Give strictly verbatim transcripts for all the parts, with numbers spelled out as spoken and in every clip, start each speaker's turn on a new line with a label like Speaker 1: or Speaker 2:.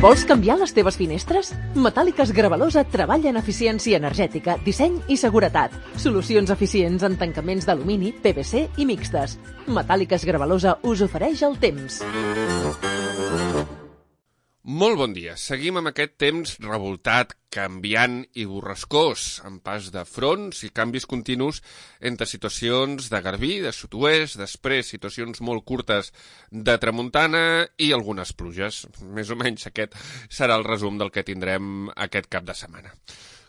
Speaker 1: Vols canviar les teves finestres? Metàl·liques Gravalosa treballa en eficiència energètica, disseny i seguretat. Solucions eficients en tancaments d'alumini, P V C i mixtes. Metàl·liques Gravalosa us ofereix el temps.
Speaker 2: Molt bon dia. Seguim amb aquest temps revoltat, canviant i borrascós, amb pas de fronts i canvis continus entre situacions de garbí, de sud-oest, després situacions molt curtes de tramuntana i algunes pluges. Més o menys aquest serà el resum del que tindrem aquest cap de setmana.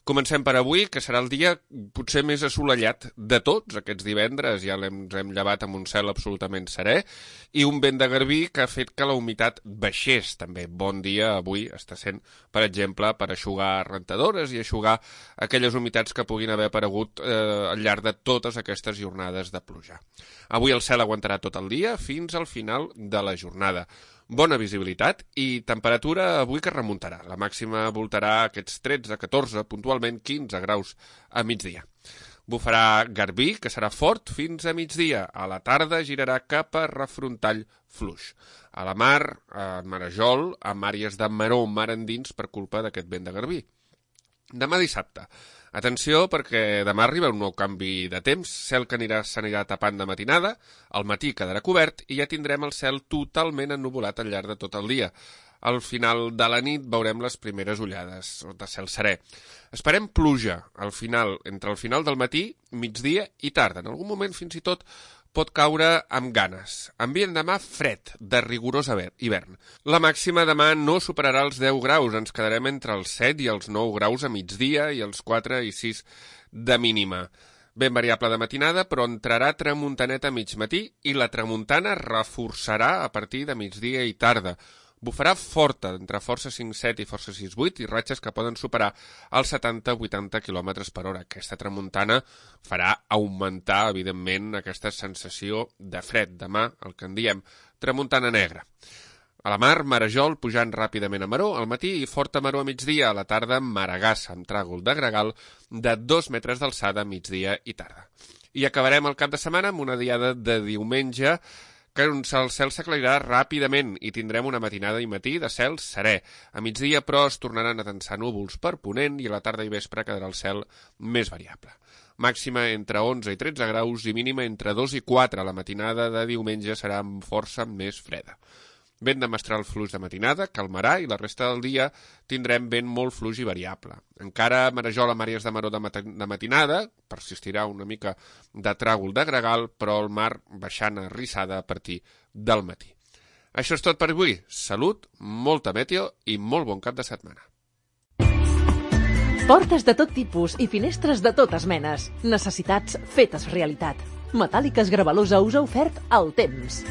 Speaker 2: Comencem per avui, que serà el dia potser més assolellat de tots aquests divendres. Ja l'hem hem llevat amb un cel absolutament serè i un vent de garbí que ha fet que la humitat baixés també. Bon dia avui està sent, per exemple, per eixugar rentadores i eixugar aquelles humitats que puguin haver aparegut eh, al llarg de totes aquestes jornades de pluja. Avui el cel aguantarà tot el dia fins al final de la jornada. Bona visibilitat i temperatura avui que remuntarà. La màxima voltarà aquests tretze, catorze, puntualment quinze graus a migdia. Bufarà garbí, que serà fort fins a migdia. A la tarda girarà cap a refrontall fluix. A la mar, a Marajol, amb àrees de maró mar endins per culpa d'aquest vent de garbí. Demà dissabte. Atenció perquè demà arriba un nou canvi de temps, cel que anirà s'anirà tapant de matinada, al matí quedarà cobert i ja tindrem el cel totalment ennuvolat al llarg de tot el dia. Al final de la nit veurem les primeres ullades de cel serè. Esperem pluja al final, entre el final del matí, migdia i tarda. En algun moment fins i tot pot caure amb ganes. Ambient demà fred, de rigorós hivern. La màxima demà no superarà els deu graus, ens quedarem entre els set i els nou graus a migdia i els quatre i sis de mínima. Ben variable de matinada, però entrarà tramuntaneta a mig matí i la tramuntana reforçarà a partir de migdia i tarda. Bufarà forta, entre força cinc set i força sis vuit, i ratxes que poden superar els setanta a vuitanta quilòmetres per hora. Aquesta tramuntana farà augmentar, evidentment, aquesta sensació de fred. Demà, el que en diem, tramuntana negra. A la mar, Marajol, pujant ràpidament a maró al matí i forta maró a migdia. A la tarda, Maragassa, amb tràgol de gregal de dos metres d'alçada a migdia i tarda. I acabarem el cap de setmana amb una diada de diumenge que el cel s'aclarirà ràpidament i tindrem una matinada i matí de cel serè. A migdia, però, es tornaran a tensar núvols per ponent i a la tarda i vespre quedarà el cel més variable. Màxima entre onze i tretze graus i mínima entre dos i quatre. La matinada de diumenge serà amb força més freda. Vent de mestral fluix de matinada, calmarà i la resta del dia tindrem vent molt fluix i variable. Encara Marajol amb àrees de maró de, mat de matinada, persistirà una mica de tràgol de gregal, però el mar baixant a rissada a partir del matí. Això és tot per avui. Salut, molta meteo i molt bon cap de setmana.
Speaker 1: Portes de tot tipus i finestres de totes menes. Necessitats fetes realitat. Metàl·liques Gravalosa us ha ofert el temps.